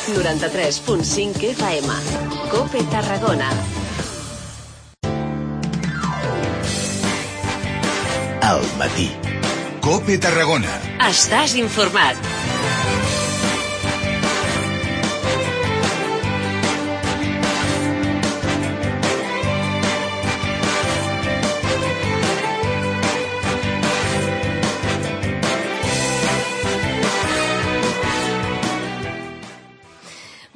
93.5 FM. COPE Tarragona. Al matí. COPE Tarragona. Estàs informat.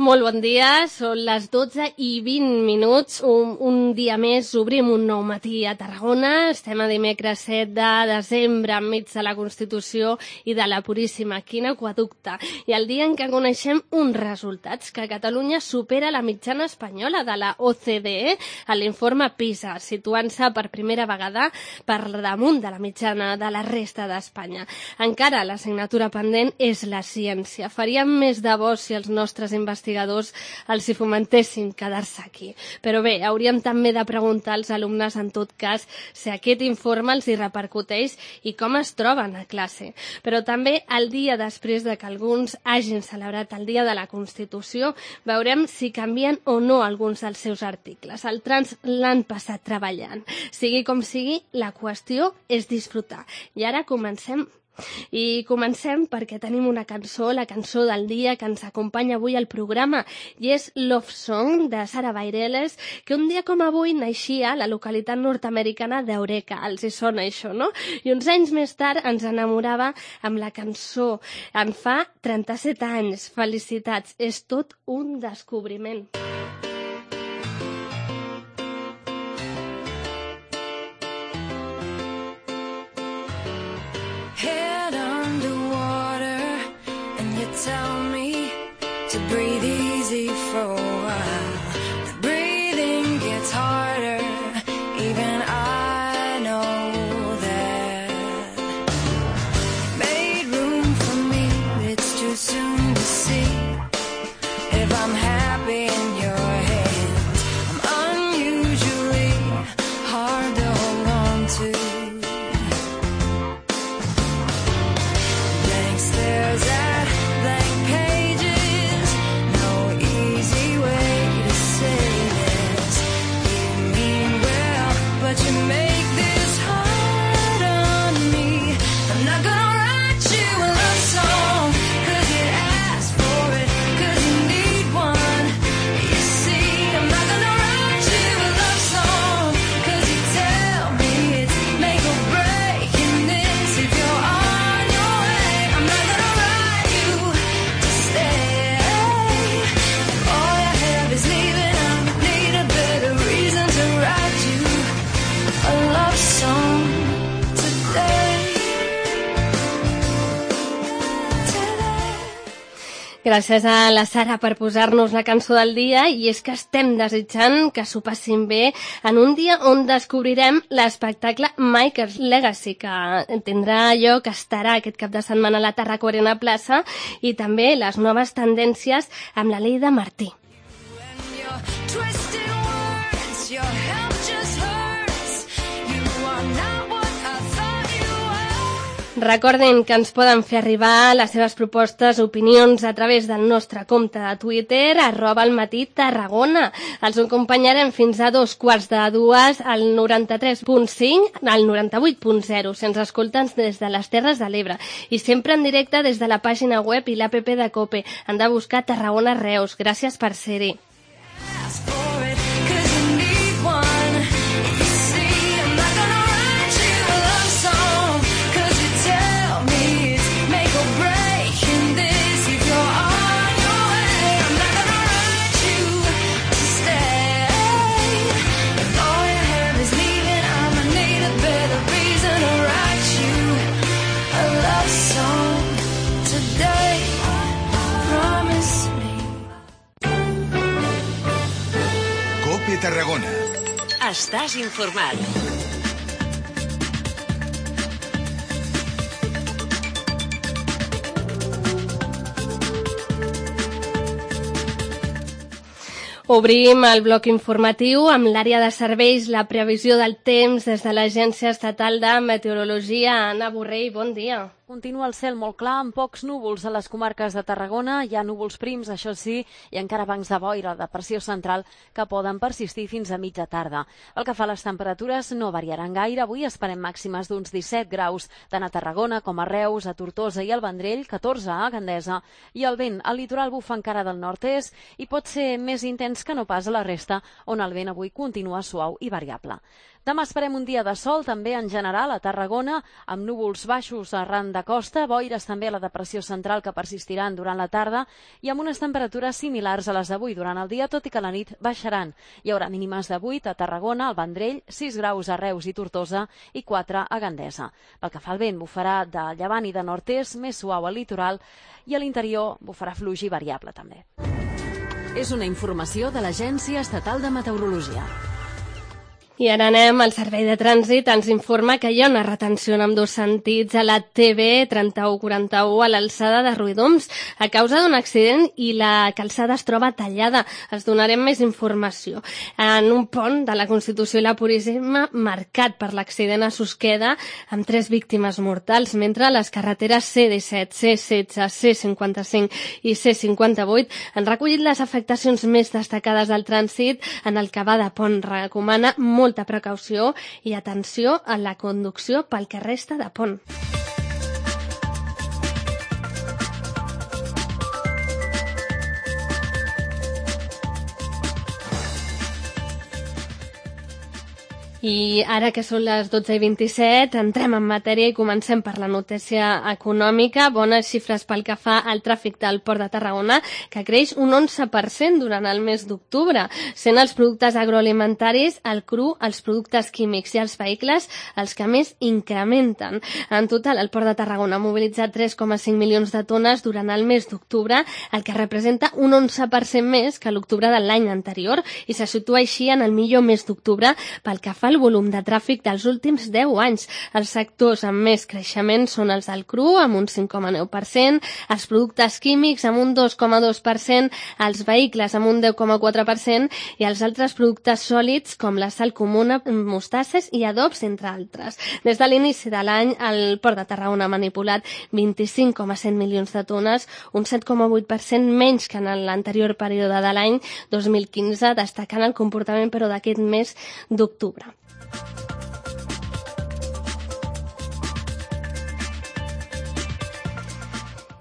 Molt bon dia, són les 12:20. Un dia més obrim un nou matí a Tarragona. Estem a dimecres 7 de desembre, enmig de la Constitució i de la Puríssima. Quin aqüeducte! I el dia en què coneixem uns resultats, que Catalunya supera la mitjana espanyola de la OCDE a l'informe PISA, situant-se per primera vegada per damunt de la mitjana de la resta d'Espanya. Encara l'assignatura pendent és la ciència. Faríem més de bo si els nostres investigadors els hi fomentessin quedar-se aquí. Però bé, hauríem també de preguntar als alumnes, en tot cas, si aquest informe els hi repercuteix i com es troben a classe. Però també, el dia després de que alguns hagin celebrat el Dia de la Constitució, veurem si canvien o no alguns dels seus articles. Altres l'han passat treballant. Sigui com sigui, la qüestió és disfrutar. I ara comencem. I comencem perquè tenim una cançó, la cançó del dia que ens acompanya avui al programa, i és Love Song de Sara Bareilles, que un dia com avui naixia a la localitat nord-americana d'Eureka. Els hi sona això, no? I uns anys més tard ens enamorava amb la cançó. En fa 37 anys. Felicitats, és tot un descobriment. Tell me to breathe easy for a while. The breathing gets harder, even I know that. Made room for me, but it's too soon to see if I'm happy in your hands. I'm unusually hard to hold on to. Blank stares at blank pages, no easy way to say this. You mean well, but you make this hard on me. I'm not gonna write you a love song, cause you asked for it, cause you need one. You see, I'm not gonna write you a love song, cause you tell me it's make or break in this. If you're on your way, I'm not gonna write you to stay. If all you have is leaving, I need a better reason to write you a love song today. Gràcies a la Sara per posar-nos la cançó del dia, i és que estem desitjant que s'ho passin bé en un dia on descobrirem l'espectacle Michael's Legacy, que tindrà lloc, estarà aquest cap de setmana a la Tarraco Arena Plaça, i també les noves tendències amb la Leida Martí. When you're twisting words, your help just hurts. You are not what I thought you were. Recordin que ens poden fer arribar les seves propostes, opinions a través del nostre compte de Twitter, @almatí_Tarragona. Els acompanyarem fins a 2:15 al 93.5, al 98.0, sense escolta'ns des de les Terres de l'Ebre. I sempre en directe des de la pàgina web i l'APP de COPE. Han de buscar Tarragona Reus. Gràcies per ser-hi. Ask for it, cause you need one. You see, I'm not gonna write you a love song, cause you tell me it's make or break in this. If you're on your way, I'm not gonna write you to stay. If all you have is leaving, I'ma need a better reason to write you a love song today. Promise me. COPE Tarragona. Estàs informat. Obrim el bloc informatiu amb l'àrea de serveis, la previsió del temps des de l'Agència Estatal de Meteorologia. Anna Borrell, bon dia. Continua el cel molt clar, amb pocs núvols a les comarques de Tarragona. Hi ha núvols prims, això sí, i encara bancs de boira de pressió central que poden persistir fins a mitja tarda. Pel que fa a les temperatures, no variaran gaire. Avui esperem màximes d'uns 17 graus, tant a Tarragona com a Reus, a Tortosa i al Vendrell, 14 a Gandesa, i el vent al litoral bufa encara del nord-est i pot ser més intens que no pas a la resta, on el vent avui continua suau i variable. Demà esperem un dia de sol, també en general a Tarragona, amb núvols baixos arran de costa, boires també a la depressió central que persistiran durant la tarda i amb unes temperatures similars a les d'avui durant el dia, tot i que a la nit baixaran. Hi haurà mínimes de 8 a Tarragona, al Vendrell, 6 graus a Reus i Tortosa i 4 a Gandesa. Pel que fa al vent, bufarà de llevant i de nord-est, més suau al litoral, i a l'interior bufarà fluix i variable també. És una informació de l'Agència Estatal de Meteorologia. I ara anem al Servei de Trànsit. Ens informa que hi ha una retenció en ambdós sentits a la TB 3141 a l'alçada de Ruïdoms a causa d'un accident i la calçada es troba tallada. Es donarem més informació. En un pont de la Constitució i la Puríssima marcat per l'accident a Susqueda amb 3 víctimes mortals, mentre les carreteres C-17, C-16, C-55 i C-58 han recollit les afectacions més destacades del trànsit en el que va de pont. Recomana molta precaució i atenció a la conducció pel que resta de pont. I ara que són les 12:27, entrem en matèria i comencem per la notícia econòmica. Bones xifres pel que fa al tràfic del Port de Tarragona, que creix un 11% durant el mes d'octubre, sent els productes agroalimentaris, el cru, els productes químics i els vehicles els que més incrementen. En total, el Port de Tarragona ha mobilitzat 3,5 milions de tones durant el mes d'octubre, el que representa un 11% més que l'octubre de l'any anterior i se situa així en el millor mes d'octubre pel que fa el volum de tràfic dels últims 10 anys. Els sectors amb més creixement són els del cru, amb un 5,9%, els productes químics amb un 2,2%, els vehicles amb un 10,4% i els altres productes sòlids com la sal comuna, mostasses i adobs, entre altres. Des de l'inici de l'any, el Port de Tarragona ha manipulat 25,7 milions de tones, un 7,8% menys que en l'anterior període de l'any 2015, destacant el comportament però d'aquest mes d'octubre.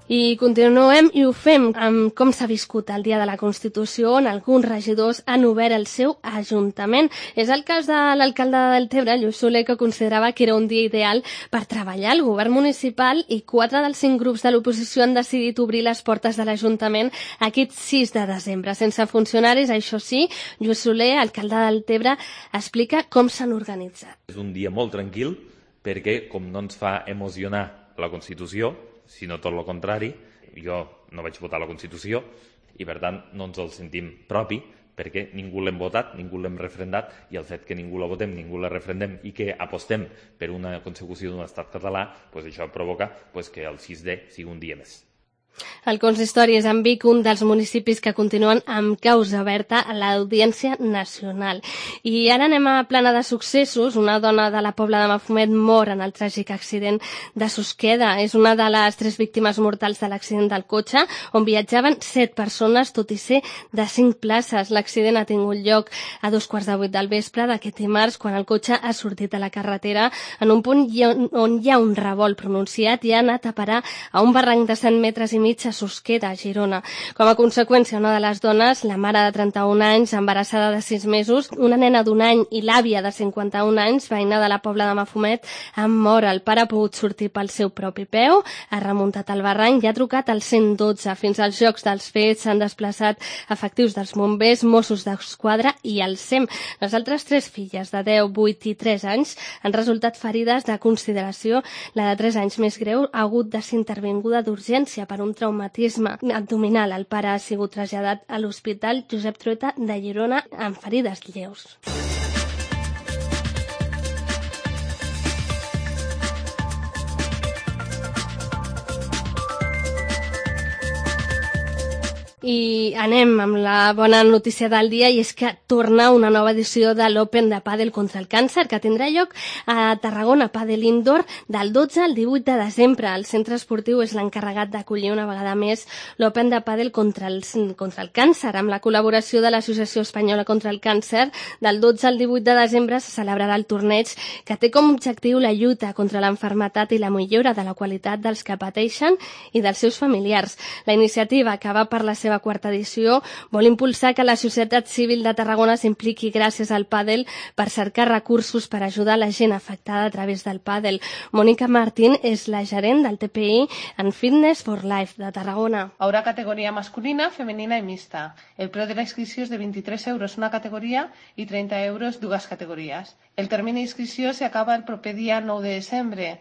I continuem i ho fem amb com s'ha viscut el Dia de la Constitució, on alguns regidors han obert el seu ajuntament. És el cas de l'alcalde de Deltebre, Lluís Soler, que considerava que era un dia ideal per treballar. El govern municipal i 4 dels 5 grups de l'oposició han decidit obrir les portes de l'Ajuntament aquest 6 de desembre. Sense funcionaris, això sí, Lluís Soler, alcalde de Deltebre, explica com s'han organitzat. És un dia molt tranquil perquè, com no ens fa emocionar la Constitució, sinó tot el contrari, jo no vaig votar la Constitució i per tant no ens el sentim propi perquè ningú l'hem votat, ningú l'hem referendat i el fet que ningú la votem, ningú la referendem i que apostem per una consecució d'un estat català, això provoca que el 6D sigui un dia més. El consistori és en Vic, un dels municipis que continuen amb causa oberta a l'Audiència Nacional. I ara anem a plana de successos. Una dona de la Pobla de Mafumet mor en el tràgic accident de Susqueda. És una de les 3 víctimes mortals de l'accident del cotxe, on viatjaven 7 persones, tot i ser de 5 places. L'accident ha tingut lloc a 2:15 del vespre d'aquest dimarts, quan el cotxe ha sortit a la carretera en un punt on hi ha un revolt pronunciat i ha anat a parar a un barranc de 100 metres i mig a Susqueda, a Girona. Com a conseqüència, una de les dones, la mare de 31 anys, embarassada de 6 mesos, una nena d'1 any i l'àvia de 51 anys, veïna de la Pobla de Mafumet, han mort. El pare ha pogut sortir pel seu propi peu, ha remuntat el barranc i ha trucat al 112. Fins als llocs dels fets s'han desplaçat efectius dels bombers, Mossos d'Esquadra i el SEM. Les altres 3 filles, de 10, 8 i 3 anys, han resultat ferides de consideració. La de 3 anys més greu ha hagut de ser intervinguda d'urgència per un traumatisme abdominal. El pare ha sigut traslladat a l'Hospital Josep Trueta de Girona amb ferides lleus. I anem amb la bona notícia del dia, i és que torna una nova edició de l'Open de Pàdel contra el càncer, que tindrà lloc a Tarragona Pàdel Indoor del 12 al 18 de desembre. El centre esportiu és l'encarregat d'acollir una vegada més l'Open de Pàdel contra el càncer. Amb la col·laboració de l'Associació Espanyola contra el Càncer, del 12 al 18 de desembre se celebrarà el torneig, que té com a objectiu la lluita contra l'enfermetat i la millora de la qualitat dels que pateixen i dels seus familiars. La iniciativa, que va per la seva quarta edició, vol impulsar que la societat civil de Tarragona s'impliqui gràcies al pàdel per cercar recursos per ajudar la gent afectada a través del pàdel. Mónica Martín és la gerent del TPI en Fitness for Life de Tarragona. Haurà categoria masculina, femenina i mixta. El preu de la inscripció és de 23 euros una categoria i 30 euros dues categories. El termini d'inscripció s'acaba el proper dia 9 de desembre.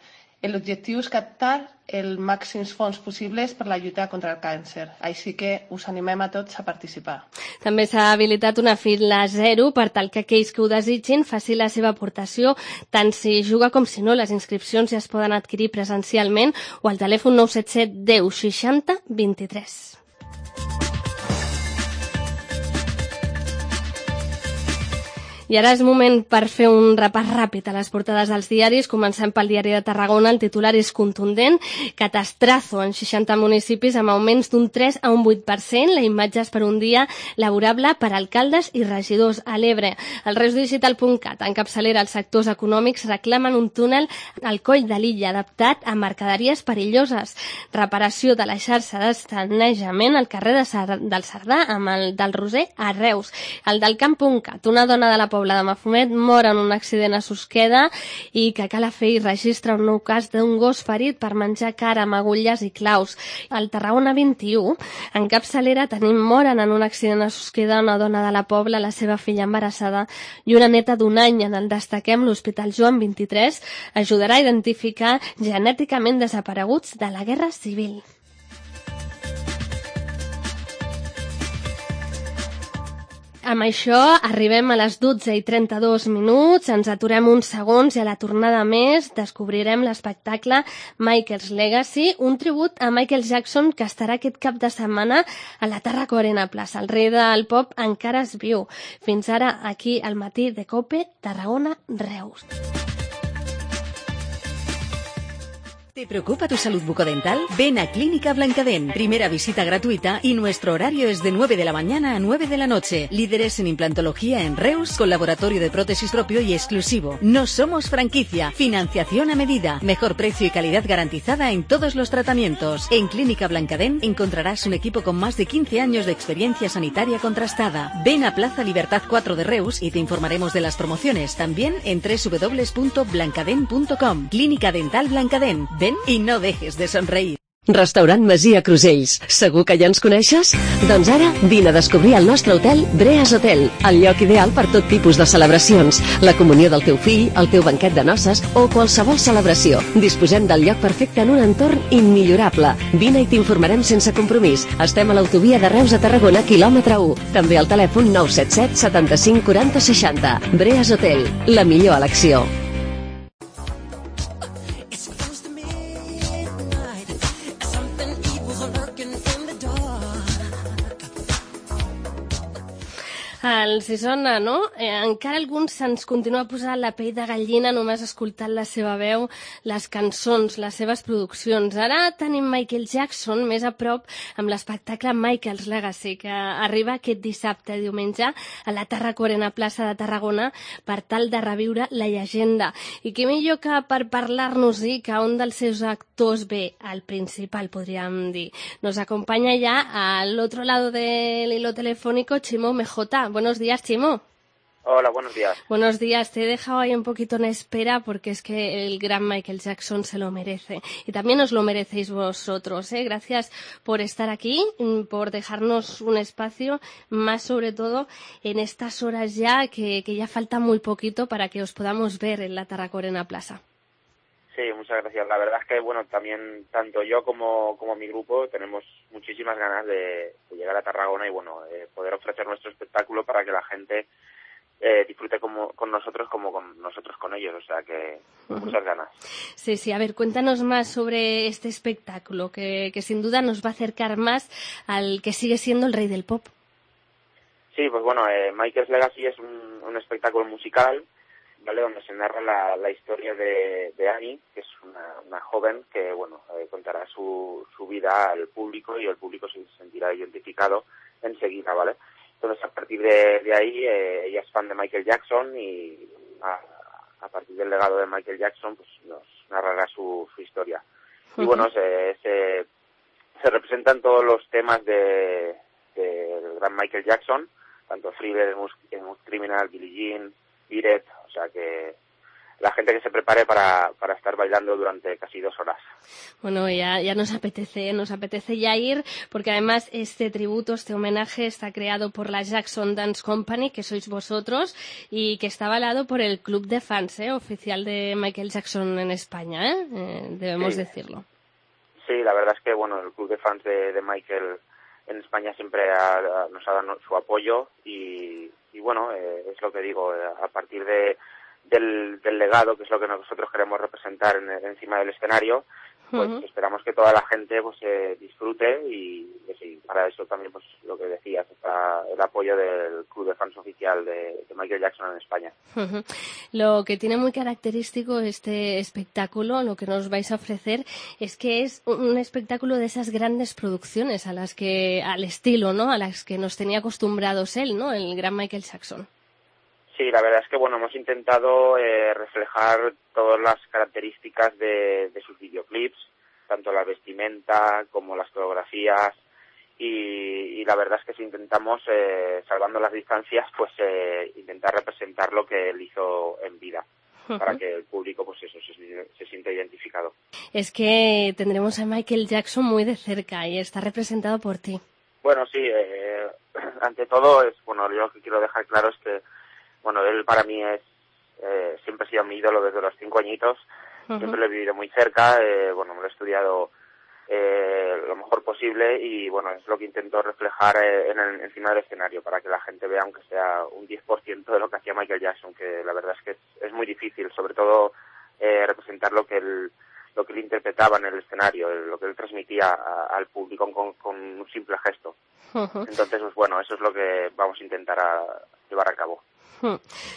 L'objectiu és captar els màxims fons possibles per la lluita contra el càncer. Així que us animem a tots a participar. També s'ha habilitat una fila zero per tal que aquells que ho desitgin faci la seva aportació, tant si juga com si no. Les inscripcions ja es poden adquirir presencialment o al telèfon 977 10 60 23. I ara és moment per fer un repàs ràpid a les portades dels diaris. Comencem pel diari de Tarragona. El titular és contundent. Catastrazo en 60 municipis amb augments d'un 3 a un 8%. La imatge és per un dia laborable per alcaldes i regidors a l'Ebre. El reusdigital.cat, en capçalera, els sectors econòmics reclamen un túnel al coll de l'illa adaptat a mercaderies perilloses. Reparació de la xarxa de sanejament al carrer del Cerdà amb el del Roser a Reus. El del camp.cat, una dona de la Pobla de Mafumet mor en un accident a Susqueda i que Calafell registra un nou cas d'un gos ferit per menjar cara amb agulles i claus. Al Tarragona 21, en capçalera, tenim moren en un accident a Susqueda una dona de la Pobla, la seva filla embarassada i una neta d'un any. En el destaquem l'Hospital Joan 23 ajudarà a identificar genèticament desapareguts de la Guerra Civil. Amb això arribem a les 12:32, ens aturem uns segons i a la tornada més descobrirem l'espectacle Michael's Legacy, un tribut a Michael Jackson que estarà aquest cap de setmana a la Tàrraco Arena Plaça. El rei del pop encara és viu. Fins ara, aquí al matí de COPE, Tarragona, Reus. ¿Te preocupa tu salud bucodental? Ven a Clínica Blancadent. Primera visita gratuita y nuestro horario es de 9 de la mañana a 9 de la noche. Líderes en implantología en Reus, con laboratorio de prótesis propio y exclusivo. No somos franquicia. Financiación a medida. Mejor precio y calidad garantizada en todos los tratamientos. En Clínica Blancadent encontrarás un equipo con más de 15 años de experiencia sanitaria contrastada. Ven a Plaza Libertad 4 de Reus y te informaremos de las promociones. También en www.blancadent.com. Clínica Dental Blancadent. Ven i no dejes de somreir. Restaurant Masia Crusells. Segur que ja ens coneixes? Doncs ara vine a descobrir el nostre hotel Breas Hotel, el lloc ideal per tot tipus de celebracions, la comunió del teu fill, el teu banquet de noces o qualsevol celebració. Disposem del lloc perfecte en un entorn immillorable. Vine i t'informarem sense compromís. Estem a l'autovia de Reus a Tarragona, quilòmetre 1. També al telèfon 977 75 40 60. Breas Hotel, la millor elecció. Els sona, no? Encara alguns se'ns continua posant la pell de gallina només escoltant la seva veu, les cançons, les seves produccions. Ara tenim Michael Jackson més a prop amb l'espectacle Michael's Legacy, que arriba aquest dissabte, diumenge, a la Tàrraco Arena Plaça de Tarragona per tal de reviure la llegenda. I què millor que per parlar-nos-hi que un dels seus actors, bé, el principal, podríem dir. Nos acompanya ya al otro lado del hilo telefónico Chimo MJ. Buenos días, Chimo. Hola, buenos días. Buenos días. Te he dejado ahí un poquito en espera porque es que el gran Michael Jackson se lo merece. Y también os lo merecéis vosotros, ¿eh? Gracias por estar aquí, por dejarnos un espacio, más sobre todo en estas horas ya que ya falta muy poquito para que os podamos ver en la Tàrraco Arena Plaza. Sí, muchas gracias. La verdad es que, bueno, también tanto yo como mi grupo tenemos muchísimas ganas de llegar a Tarragona y, bueno, poder ofrecer nuestro espectáculo para que la gente disfrute con nosotros como con nosotros con ellos, o sea que muchas ganas. Sí, sí, a ver, cuéntanos más sobre este espectáculo, que sin duda nos va a acercar más al que sigue siendo el rey del pop. Sí, pues bueno, Michael's Legacy es un espectáculo musical, ¿vale? Donde se narra la historia de Annie, que es una joven que, bueno, contará su vida al público y el público se sentirá identificado enseguida, ¿vale? Entonces, a partir de ahí, ella es fan de Michael Jackson y a partir del legado de Michael Jackson, pues nos narrará su historia. Y bueno, se representan todos los temas del gran Michael Jackson, tanto Thriller, Smooth Criminal, Billie Jean, Beat It, o sea que la gente que se prepare para estar bailando durante casi 2 horas. Bueno, ya nos apetece ya ir, porque además este tributo, este homenaje está creado por la Jackson Dance Company, que sois vosotros, y que está avalado por el club de fans oficial de Michael Jackson en España, debemos decirlo. Sí, la verdad es que bueno, el club de fans de Michael en España siempre nos ha dado su apoyo y bueno, es lo que digo, a partir del legado, que es lo que nosotros queremos representar encima del escenario, pues esperamos que toda la gente pues disfrute y sí, para eso también pues lo que decías, está el apoyo del club de fans oficial de Michael Jackson en España. Lo que tiene muy característico este espectáculo, lo que nos vais a ofrecer, es que es un espectáculo de esas grandes producciones al estilo, ¿no? A las que nos tenía acostumbrados él, ¿no? El gran Michael Jackson. Sí, la verdad es que bueno, hemos intentado reflejar todas las características de sus videoclips, tanto la vestimenta como las coreografías, y la verdad es que si intentamos, salvando las distancias, pues intentar representar lo que él hizo en vida, para que el público pues eso se sienta identificado. Es que tendremos a Michael Jackson muy de cerca y está representado por ti. Bueno, sí, ante todo, yo lo que quiero dejar claro es que bueno, él para mí siempre ha sido mi ídolo desde los 5 añitos, siempre lo he vivido muy cerca, me lo he estudiado lo mejor posible y bueno, es lo que intento reflejar encima del escenario para que la gente vea, aunque sea un 10% de lo que hacía Michael Jackson, que la verdad es que es muy difícil, sobre todo representar lo que él interpretaba en el escenario, lo que él transmitía al público con un simple gesto. Entonces, pues bueno, eso es lo que vamos a intentar llevar a cabo.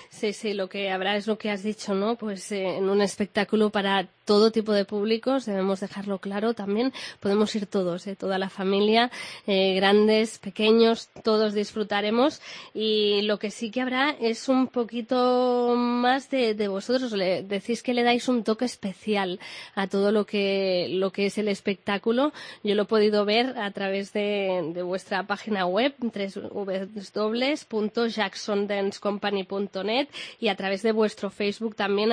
Sí, lo que habrá es lo que has dicho, ¿no? Pues en un espectáculo para todo tipo de públicos, debemos dejarlo claro también, podemos ir todos, toda la familia, grandes, pequeños, todos disfrutaremos, y lo que sí que habrá es un poquito más de vosotros, decís que le dais un toque especial a todo lo que es el espectáculo. Yo lo he podido ver a través de vuestra página web, www.jacksondancecompany.net, y a través de vuestro Facebook también,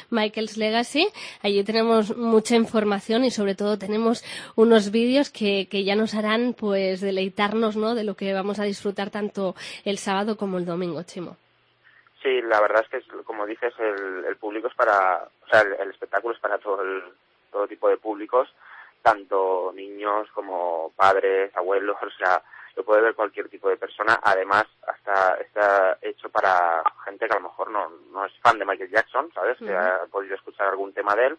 @MichaelsLegacy. Allí tenemos mucha información y sobre todo tenemos unos vídeos que ya nos harán pues deleitarnos, ¿no?, de lo que vamos a disfrutar tanto el sábado como el domingo, Chimo. Sí, la verdad es que, como dices, el público es el espectáculo es para todo tipo de públicos, tanto niños como padres, abuelos, o sea, lo puede ver cualquier tipo de persona. Además, hasta está hecho para gente que a lo mejor no es fan de Michael Jackson, ¿sabes? Que ha podido escuchar algún tema de él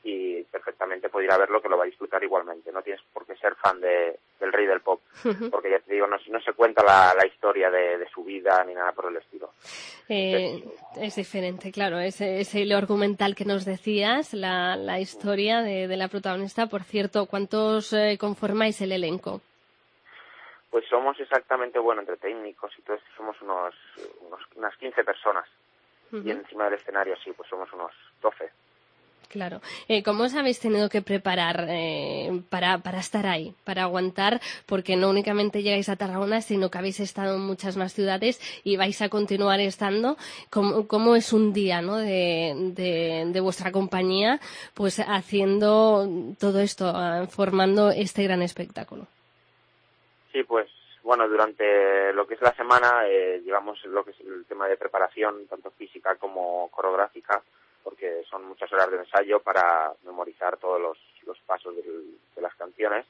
y perfectamente puede ir a verlo, que lo va a disfrutar igualmente. No tienes por qué ser fan del rey del pop, porque ya te digo, no se cuenta la historia de su vida ni nada por el estilo. Es diferente, claro, ese hilo argumental que nos decías, la historia de la protagonista. Por cierto, ¿cuántos conformáis el elenco? Pues somos exactamente, entre técnicos y todo esto, somos unas 15 personas. Y encima del escenario, sí, pues somos unos 12. Claro. ¿Cómo os habéis tenido que preparar para estar ahí, para aguantar? Porque no únicamente llegáis a Tarragona, sino que habéis estado en muchas más ciudades y vais a continuar estando. ¿Cómo es un día, ¿no?, de vuestra compañía, pues haciendo todo esto, formando este gran espectáculo? Sí, pues durante lo que es la semana llevamos lo que es el tema de preparación, tanto física como coreográfica, porque son muchas horas de ensayo para memorizar todos los pasos de las canciones,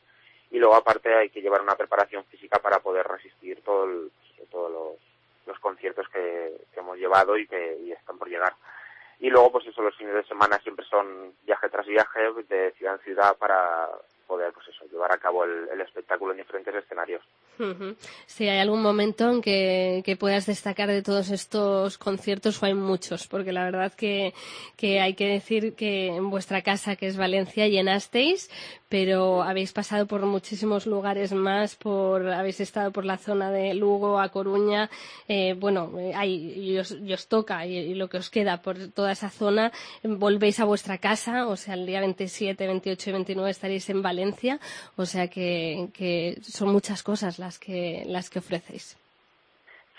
y luego aparte hay que llevar una preparación física para poder resistir todos los conciertos que hemos reservado y están por llegar. Y luego, pues eso, los fines de semana siempre son viaje tras viaje, de ciudad en ciudad, para poder, pues eso, llevar a cabo el espectáculo en diferentes escenarios. Si hay algún momento en que puedas destacar de todos estos conciertos, o hay muchos, porque la verdad que hay que decir que en vuestra casa, que es Valencia, llenasteis, pero habéis pasado por muchísimos lugares más, habéis estado por la zona de Lugo, A Coruña, y os toca, y lo que os queda por toda esa zona, volvéis a vuestra casa, o sea, el día 27, 28 y 29 estaréis en Valencia, o sea que son muchas cosas las que ofrecéis.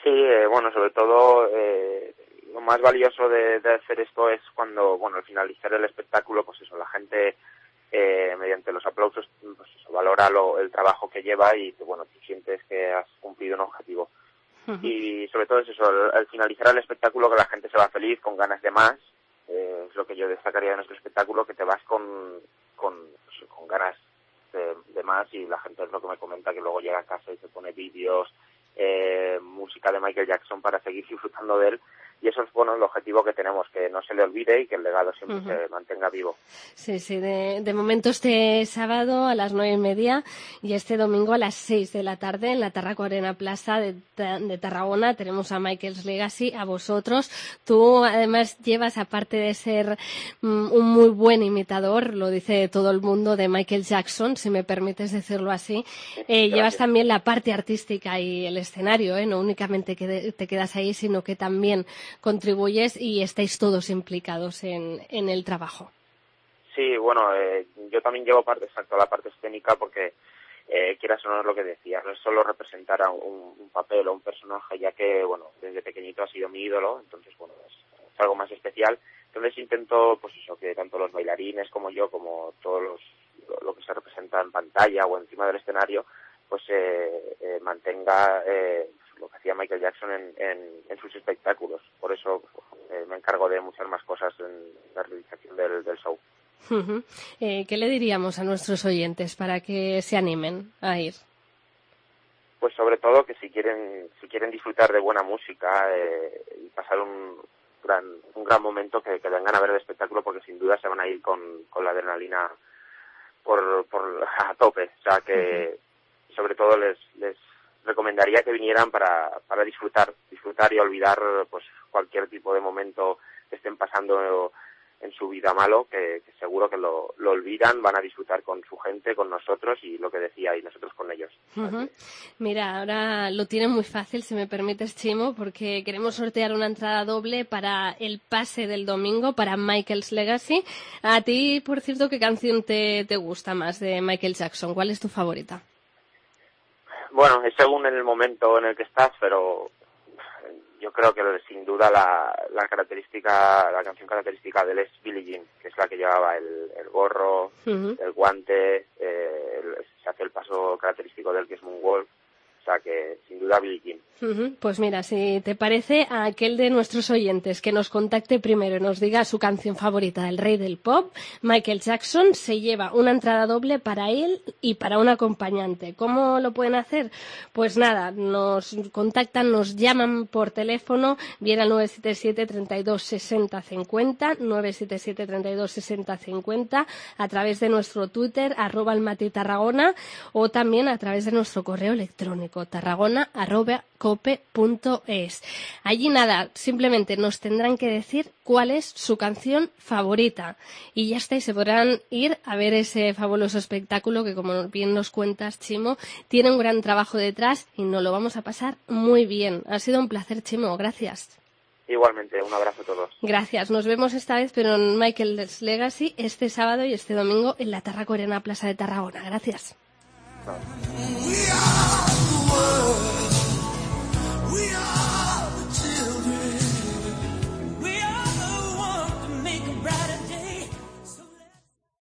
Sí, sobre todo lo más valioso de hacer esto es cuando, al finalizar el espectáculo, pues eso, la gente mediante los aplausos, pues eso, valora el trabajo que lleva y tú sientes que has cumplido un objetivo. Y sobre todo es eso, al finalizar el espectáculo, que la gente se va feliz, con ganas de más. Es lo que yo destacaría de nuestro espectáculo, que te vas con ganas de más, y la gente es lo que me comenta, que luego llega a casa y se pone vídeos, música de Michael Jackson para seguir disfrutando de él, y eso es el objetivo que tenemos, que no se le olvide y que el legado siempre se mantenga vivo. Sí, de momento este sábado a las 9:30 y este domingo a las 6 de la tarde en la Tarraco Arena Plaza de Tarragona tenemos a Michael's Legacy, a vosotros. Tú además llevas, aparte de ser un muy buen imitador, lo dice todo el mundo, de Michael Jackson, si me permites decirlo así, llevas también la parte artística y el escenario, no únicamente que te quedas ahí, sino que también contribuyes y estáis todos implicados en el trabajo. Sí, yo también llevo la parte escénica, porque quieras o no, es lo que decía, no es solo representar a un papel o un personaje, ya que, desde pequeñito ha sido mi ídolo, entonces, es algo más especial. Entonces intento, pues eso, que tanto los bailarines como yo, como todo lo que se representa en pantalla o encima del escenario, pues mantenga lo que hacía Michael Jackson en sus espectáculos. Por eso me encargo de muchas más cosas en la realización del show. ¿Qué le diríamos a nuestros oyentes para que se animen a ir? Pues sobre todo que si quieren disfrutar de buena música y pasar un gran momento, que vengan a ver el espectáculo, porque sin duda se van a ir con la adrenalina por a tope. O sea que sobre todo les recomendaría que vinieran para disfrutar y olvidar pues cualquier tipo de momento que estén pasando en su vida malo, que seguro que lo olvidan, van a disfrutar con su gente, con nosotros, y lo que decía, y nosotros con ellos. Mira, ahora lo tienen muy fácil, si me permites, Chimo, porque queremos sortear una entrada doble para el pase del domingo, para Michael's Legacy. A ti, por cierto, ¿qué canción te gusta más de Michael Jackson? ¿Cuál es tu favorita? Bueno, es según en el momento en el que estás, pero yo creo que sin duda la canción característica de él es Billie Jean, que es la que llevaba el gorro, el guante, se hace el paso característico del que es Moonwalk, o sea que sin duda Billie Jean. Pues mira, si te parece, a aquel de nuestros oyentes que nos contacte primero y nos diga su canción favorita, el rey del pop, Michael Jackson, se lleva una entrada doble para él y para un acompañante. ¿Cómo lo pueden hacer? Pues nada, nos contactan, nos llaman por teléfono, bien al 977 32 60 50, 977 32 60 50, a través de nuestro Twitter, @almatitarragona, o también a través de nuestro correo electrónico, tarragona@cope.es. Allí nada, simplemente nos tendrán que decir cuál es su canción favorita y ya está, y se podrán ir a ver ese fabuloso espectáculo que, como bien nos cuentas, Chimo, tiene un gran trabajo detrás y nos lo vamos a pasar muy bien. Ha sido un placer, Chimo, gracias. Igualmente, un abrazo a todos. Gracias, nos vemos esta vez, pero en Michael's Legacy, este sábado y este domingo en la Tarraco Arena Plaza de Tarragona. Gracias.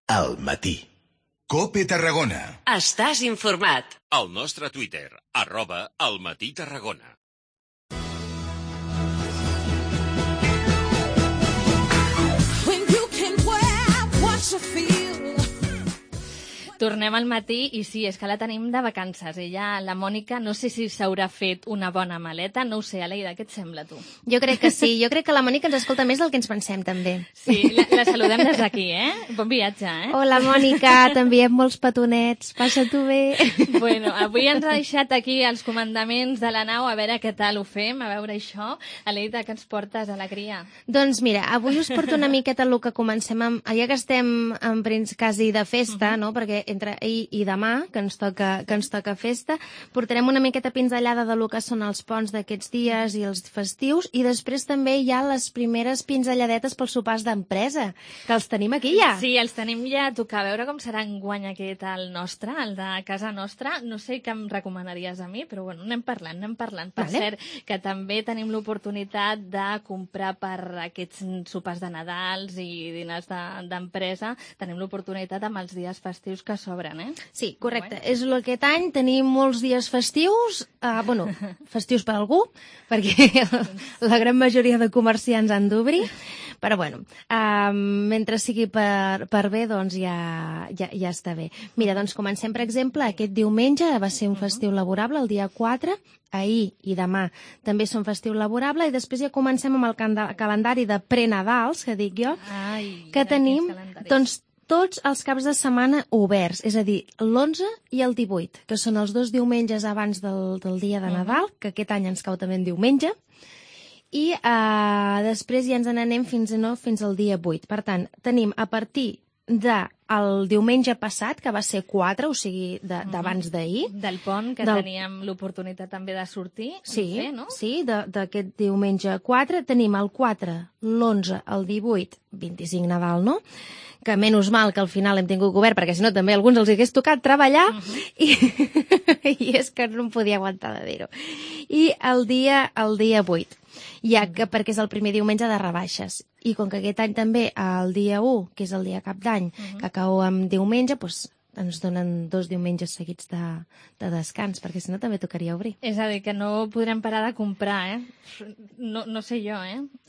Al matí. COPE Tarragona. Estàs informat. Al nostre Twitter, @almatí-tarragona. Tornem al matí i sí, és que la tenim de vacances. Ella, la Mònica, no sé si s'haurà fet una bona maleta, no ho sé, Aleida, què et sembla, tu? Jo crec que sí, jo crec que la Mònica ens escolta més del que ens pensem, també. Sí, la saludem des d'aquí, Bon viatge, Hola, Mònica, t'enviem molts petonets, passa-t'ho bé. Bueno, avui ens ha deixat aquí els comandaments de la nau, a veure què tal ho fem, a veure això. Aleida, què ens portes a la cria? Doncs mira, avui us porto una miqueta el que comencem amb... Ja que estem en quasi de festa, no? Perquè entre ahir i demà, que ens toca festa, portarem una miqueta pinzellada de lo que són els ponts d'aquests dies i els festius, i després també hi ha les primeres pinzelladetes pels sopars d'empresa, que els tenim aquí ja. Sí, els tenim ja a tocar. A veure com serà enguany aquest el nostre, el de casa nostra. No sé què em recomanaries a mi, però bueno, anem parlant. Per cert, que també tenim l'oportunitat de comprar per aquests sopars de Nadals i dinars d'empresa, tenim l'oportunitat amb els dies festius que s'obren, Sí, correcte. És aquest any tenim molts dies festius, festius per algú, perquè la gran majoria de comerciants han d'obrir, però bueno, mentre sigui per bé, doncs ja està bé. Mira, doncs comencem, per exemple, aquest diumenge va ser un festiu laborable, el dia 4, ahir i demà també són festiu laborable, i després ja comencem amb el calendari de prenadals, que dic jo, que tenim doncs tots els caps de setmana oberts, és a dir, l'11 i el 18, que són els 2 diumenges abans del dia de Nadal, que aquest any ens cau també en diumenge, i després ja ens n'anem fins al dia 8. Per tant, tenim a partir del diumenge passat, que va ser 4, o sigui, d'abans d'ahir. Del pont, que teníem l'oportunitat també de sortir. Sí, d'aquest diumenge 4. Tenim el 4, l'11, el 18, 25 Nadal, no? Que menys mal que al final hem tingut obert, perquè si no també a alguns els hagués tocat treballar, i és que no em podia aguantar de dir-ho. I el dia 8, perquè és el primer diumenge de rebaixes. I com que aquest any també el dia 1, que és el dia cap d'any, que cau en diumenge, doncs ens donen 2 diumenges seguits de descans, perquè si no també tocaria obrir. És a dir, que no podrem parar de comprar, No sé jo,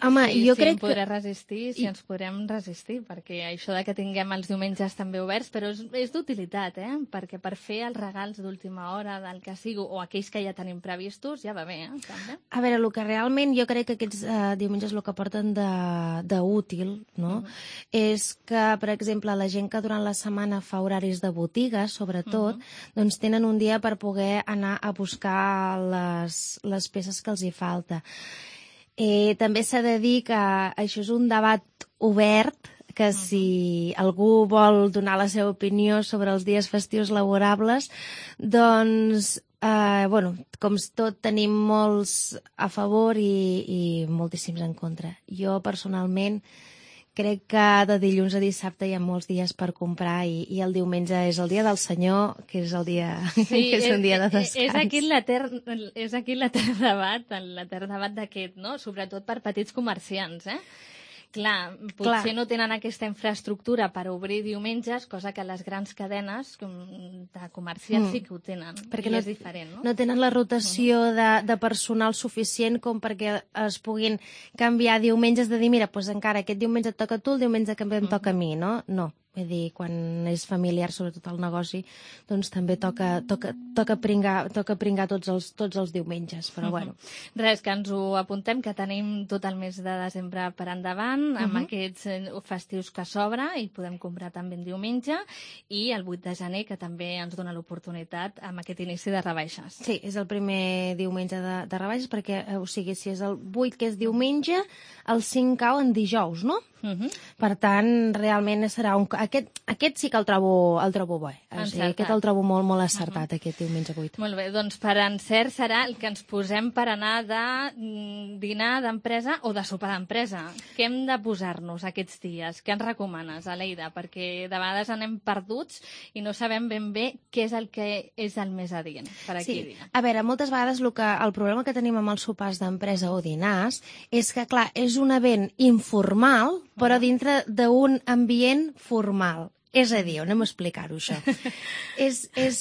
Home, jo crec que... Si em podré resistir, si ens podrem resistir, perquè això de que tinguem els diumenges també oberts, però és d'utilitat, perquè per fer els regals d'última hora, del que sigui, o aquells que ja tenim previstos, ja va bé, també. A veure, el que realment jo crec que aquests diumenges el que porten d'útil, no? És que, per exemple, la gent que durant la setmana fa horaris de botigues, sobretot, doncs tenen un dia per poder anar a buscar les peces que els hi falta. També s'ha de dir que això és un debat obert, que si algú vol donar la seva opinió sobre els dies festius laborables, doncs, com tot tenim molts a favor i moltíssims en contra. Jo, personalment, crec que de dilluns a dissabte hi ha molts dies per comprar i el diumenge és el dia del Senyor, que és el dia que és un dia de descans. És aquí l'etern debat d'aquest, no? Sobretot per petits comerciants, Clar, potser no tenen aquesta infraestructura per obrir diumenges, cosa que les grans cadenes de comerciants sí que ho tenen. Perquè és diferent, no? No tenen la rotació de personal suficient com perquè es puguin canviar diumenges, de dir, mira, doncs encara aquest diumenge et toca a tu, el diumenge que em toca a mi, no? No. Vull dir, quan és familiar, sobretot el negoci, doncs també toca pringar tots els diumenges, però bueno. Res, que ens ho apuntem, que tenim tot el mes de desembre per endavant, amb aquests festius que s'obre, i podem comprar també en diumenge, i el 8 de gener, que també ens dona l'oportunitat amb aquest inici de rebaixes. Sí, és el primer diumenge de rebaixes, perquè, o sigui, si és el 8, que és diumenge, el 5 cau en dijous, no? Per tant, realment serà aquest sí que el trobo bo. O sigui, aquest el trobo molt, molt acertat, aquest diumenge 8. Molt bé, doncs per encert serà el que ens posem per anar de dinar d'empresa o de sopar d'empresa. Què hem de posar-nos aquests dies? Què ens recomanes, Aleida? Perquè de vegades anem perduts i no sabem ben bé què és el que és el més adient per aquí. Sí, a veure, moltes vegades el problema que tenim amb els sopars d'empresa o dinars és que, clar, és un event informal, però dintre d'un ambient formal. És a dir, anem a explicar-ho, això.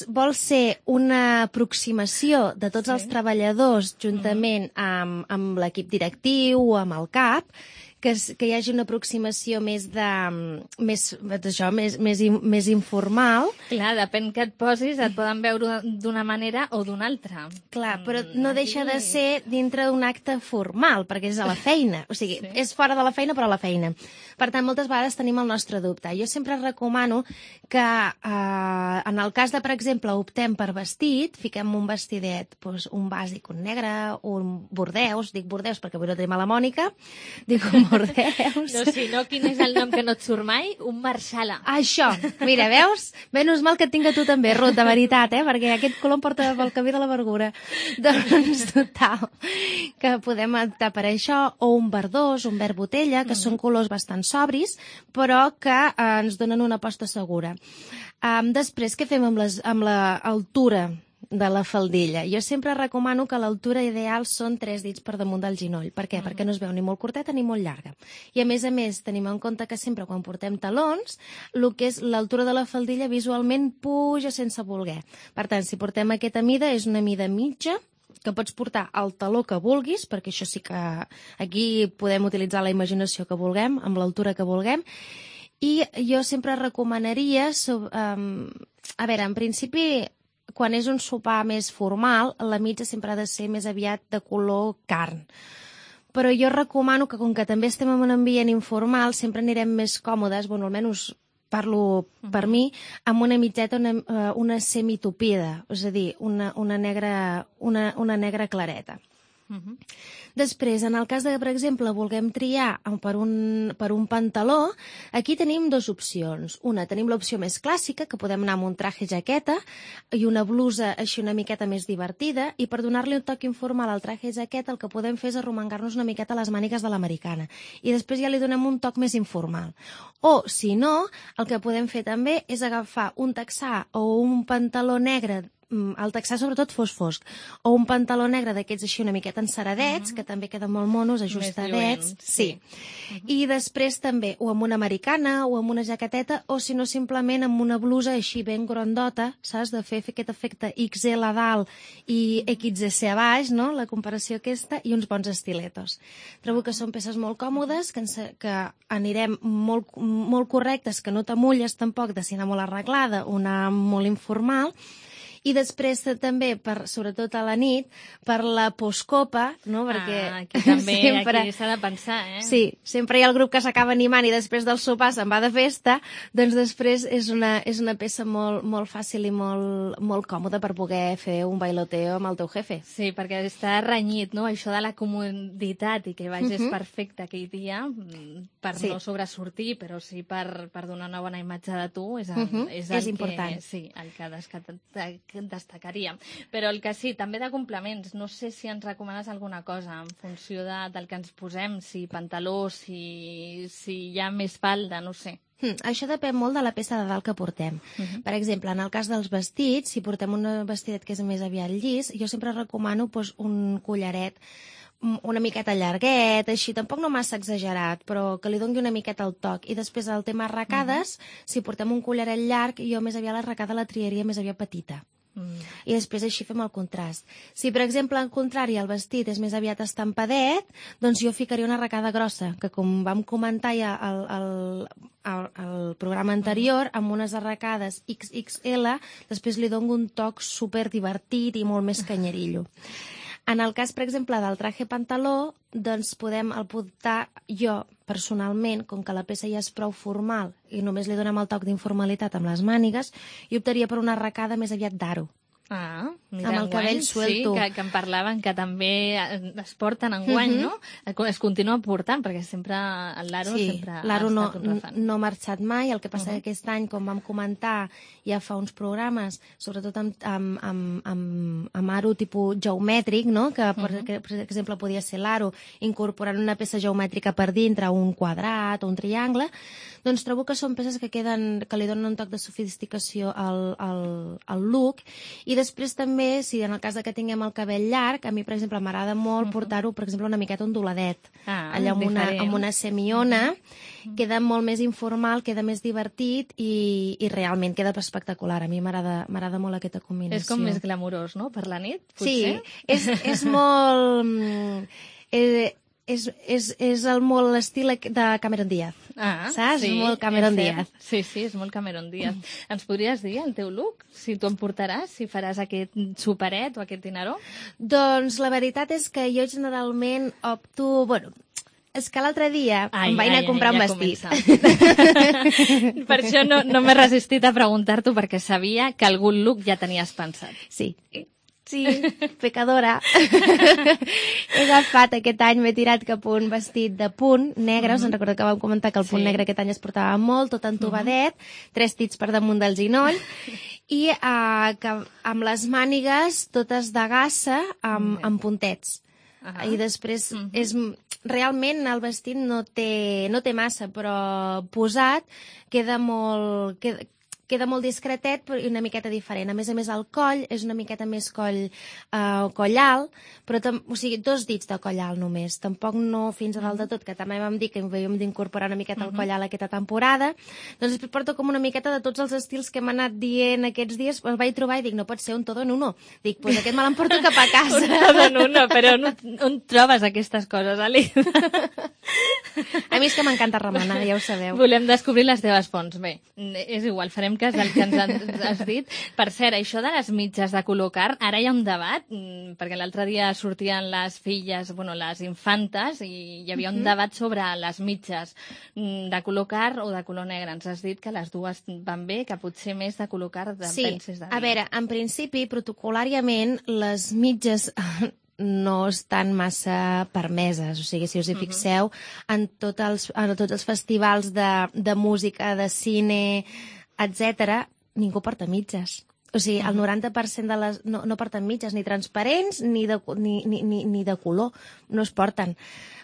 Vol ser una aproximació de tots els treballadors juntament amb l'equip directiu o amb el CAP, que hi hagi una aproximació més informal. Clar, depèn que et posis, et poden veure d'una manera o d'una altra. Clar, però no deixa de ser dintre d'un acte formal, perquè és a la feina. O sigui, és fora de la feina, però a la feina. Per tant, moltes vegades tenim el nostre dubte. Jo sempre recomano que, en el cas de, per exemple, optem per vestit, fiquem un vestidet, doncs, un bàsic, un negre, un bordeus, dic bordeus perquè avui no tenim a la Mònica, dic un bordeus. No, si no, quin és el nom que no et surt mai? Un marsala. Això, mira, veus? Menys mal que et tinc a tu també, Ruth, de veritat, perquè aquest color em porta pel camí de l'amargura. Doncs, total, que podem optar per això, o un verdós, un verd botella, que són colors bastant sobris, però que ens donen una aposta segura. Després, què fem amb l'altura de la faldilla? Jo sempre recomano que l'altura ideal són 3 dits per damunt del ginoll. Per què? Perquè no es veu ni molt curteta ni molt llarga. I a més, tenim en compte que sempre quan portem talons, el que és l'altura de la faldilla visualment puja sense voler. Per tant, si portem aquesta mida, és una mida mitja, que pots portar el taló que vulguis, perquè això sí que aquí podem utilitzar la imaginació que vulguem, amb l'altura que vulguem, i jo sempre recomanaria, a veure, en principi, quan és un sopar més formal, la mitja sempre ha de ser més aviat de color carn. Però jo recomano que, com que també estem en un ambient informal, sempre anirem més còmodes, bueno, almenys parlo per mi, amb una mitjeta, una semitupida, és a dir, una negra clareta. Després, en el cas de, per exemple, vulguem triar per un pantaló, aquí tenim 2 opcions. Una, tenim l'opció més clàssica, que podem anar amb un traje jaqueta i una blusa així una miqueta més divertida, i per donar-li un toc informal al traje jaqueta el que podem fer és arromangar-nos una miqueta les mànigues de l'americana. I després ja li donem un toc més informal. O, si no, el que podem fer també és agafar un texà o un pantaló negre, el texà sobretot fosc, o un pantaló negre d'aquests així una miqueta enceradets, que també queden molt monos, ajustadets. Sí. I després també, o amb una americana, o amb una jaqueteta, o si no simplement amb una blusa així ben grandota, saps? De fer aquest efecte XL a dalt i XS a baix, no? La comparació aquesta, i uns bons estiletos. Trobo que són peces molt còmodes, que anirem molt correctes, que no t'amulles tampoc de si anar molt arreglada, una molt informal. I després també, sobretot a la nit, per la postcopa, no? Perquè aquí també aquí s'ha de pensar, Sí, sempre hi ha el grup que s'acaba animant i després del sopar se'n va de festa, doncs després és una peça molt fàcil i molt còmoda per poder fer un bailoteo amb el teu jefe. Sí, perquè està renyit, no? Això de la comoditat i que vagis perfecte aquell dia, per no sobresortir, però sí per donar una bona imatge de tu, és important. Sí, el que destacaria. Però el que sí, també de complements. No sé si ens recomanes alguna cosa en funció del que ens posem, si pantaló, si hi ha més falda, no sé. Això depèn molt de la peça de dalt que portem. Per exemple, en el cas dels vestits, si portem un vestidet que és més aviat llis, jo sempre recomano un collaret una miqueta llarguet, així, tampoc no massa exagerat, però que li doni una miqueta el toc. I després el tema arracades, si portem un collaret llarg, jo més aviat l'arracada la triaria més aviat petita. I després així fem el contrast. Si, per exemple, al contrari, el vestit és més aviat estampadet, doncs jo ficaria una arracada grossa, que com vam comentar ja al programa anterior, amb unes arracades XXL, després li dono un toc super divertit i molt més canyerillo. En el cas, per exemple, del traje pantaló, doncs podem optar jo, personalment, com que la peça ja és prou formal i només li donem el toc d'informalitat amb les mànigues, i optaria per una arracada més aviat d'aro. Mira, amb el cabell suelto. Sí, que em parlaven que també es porten enguany, no? Es continua portant, perquè sempre l'aro sempre ha estat un refant. No ha marxat mai, el que passa que aquest any, com vam comentar ja fa uns programes, sobretot amb aro tipus geomètric, no? Que, per exemple, podia ser l'aro incorporant una peça geomètrica per dintre, un quadrat o un triangle, doncs trobo que són peces que li donen un toc de sofisticació al look. I després també, si en el cas que tinguem el cabell llarg, a mi, per exemple, m'agrada molt portar-ho, per exemple, una miqueta onduladet. Allà amb una semiona, queda molt més informal, queda més divertit i realment queda espectacular. A mi m'agrada molt aquesta combinació. És com més glamurós, no?, per la nit, potser? Sí, és molt... és molt l'estil de Cameron Diaz. Saps? Sí, molt Cameron Diaz. Sí, és molt Cameron Diaz. Ens podries dir el teu look? Si tu em portaràs, si faràs aquest superet o aquest dineró? Doncs la veritat és que jo generalment opto... Bueno, és que l'altre dia em vaig anar a comprar un vestit. Per això no m'he resistit a preguntar-t'ho, perquè sabia que algun look ja tenies pensat. Sí, pecadora. He agafat aquest any, m'he tirat cap a un vestit de punt negre. Us en recordo que vam comentar que el punt negre aquest any es portava molt, tot entobadet, 3 tits per damunt del ginoll, i que amb les mànigues totes de gassa amb puntets. I després realment el vestit no té massa, però posat queda molt discretet i una miqueta diferent. A més, el coll és una miqueta més coll alt, però o sigui, 2 dits de coll alt només. Tampoc no fins a dalt de tot, que també vam dir que havíem d'incorporar una miqueta el coll alt aquesta temporada. Doncs després porto com una miqueta de tots els estils que hem anat dient aquests dies. El vaig trobar i dic, no pot ser un todo en uno. Dic, doncs aquest me l'emporto cap a casa. Un todo en uno, però on trobes aquestes coses, Ali? A mi és que m'encanta remenar, ja ho sabeu. Volem descobrir les teves fonts. Bé, és igual, farem cas del que ens has dit. Per cert, això de les mitges de color carn, ara hi ha un debat, perquè l'altre dia sortien les filles, les infantes, i hi havia un debat sobre les mitges de color carn o de color negre. Ens has dit que les dues van bé, que potser més de color carn penses de dia. A veure, en principi, protocolàriament, les mitges no estan massa permeses. O sigui, si us hi fixeu, en tots els festivals de música, de cine, etc., ningú porta mitges. O sigui, el 90% de les... no porten mitges, ni transparents ni de color. No es porten.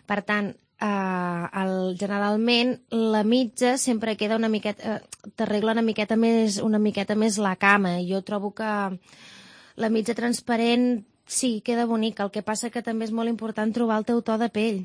Per tant, generalment la mitja sempre queda una miqueta... t'arregla una miqueta més la cama. Jo trobo que la mitja transparent sí, queda bonica. El que passa que també és molt important trobar el teu to de pell.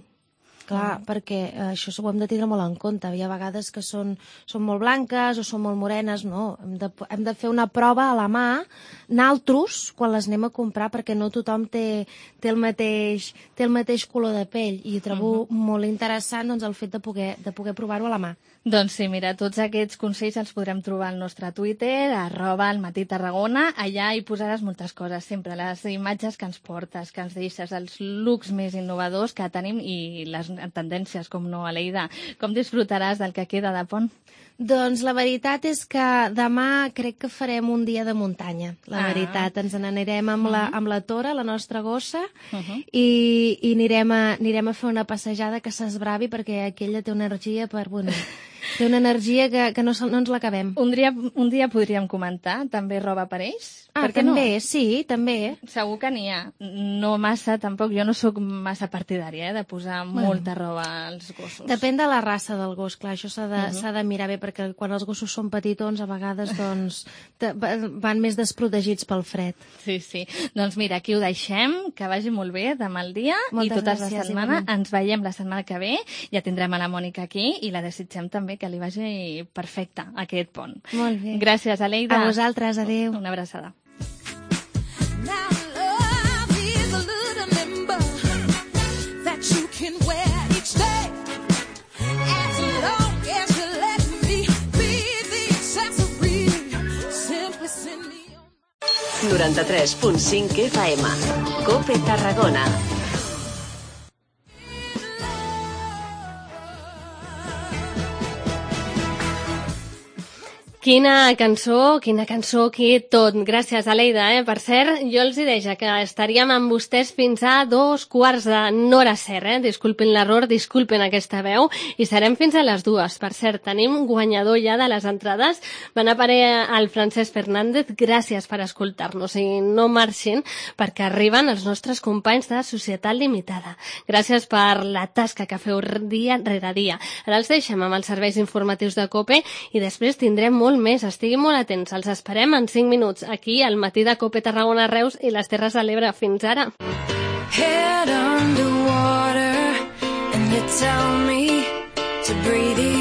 Clar, perquè això ho hem de tindre molt en compte. Hi ha vegades que són molt blanques o són molt morenes. No, hem de fer una prova a la mà, naltros, quan les anem a comprar, perquè no tothom té el mateix color de pell. I trobo molt interessant el fet de poder provar-ho a la mà. Doncs sí, mira, tots aquests consells els podrem trobar al nostre Twitter, @almatí_Tarragona. Allà hi posaràs moltes coses, sempre les imatges que ens portes, que ens deixes, els looks més innovadors que tenim i les tendències, com no, Aleida. Com disfrutaràs del que queda de pont? Doncs la veritat és que demà crec que farem un dia de muntanya. La veritat, ens n'anirem amb la Tora, la nostra gossa, i anirem a fer una passejada que s'esbravi, perquè aquella té una energia té una energia que no ens l'acabem. Un dia podríem comentar també roba per ells? També, sí, també. Segur que n'hi ha. No massa, tampoc. Jo no sóc massa partidària de posar molta roba als gossos. Depèn de la raça del gos, clar, això s'ha de mirar bé, perquè quan els gossos són petitons, a vegades van més desprotegits pel fred. Sí. Doncs mira, aquí ho deixem, que vagi molt bé demà al dia. Moltes i tota gràcies, la setmana. Ens veiem la setmana que ve. Ja tindrem a la Mònica aquí i la desitgem també que li vagi perfecte aquest pont. Molt bé. Gràcies, Aleida. A vosaltres, adéu. Una abraçada. / 93.5 FM. COPE Tarragona. Quina cançó, aquí tot. Gràcies, Aleida. Per cert, jo els hi deia que estaríem amb vostès fins a 2:15. Disculpin l'error, disculpin aquesta veu, i serem fins a les 2. Per cert, tenim guanyador ja de les entrades. Van aparèixer el Francesc Fernández. Gràcies per escoltar-nos i no marxin, perquè arriben els nostres companys de Societat Limitada. Gràcies per la tasca que feu dia rere dia. Ara els deixem amb els serveis informatius de COPE i després tindrem molt més. Estiguin molt atents. Els esperem en 5 minuts aquí al matí de COPE Tarragona, Reus i les Terres de l'Ebre. Fins ara. Head underwater and you tell me to breathe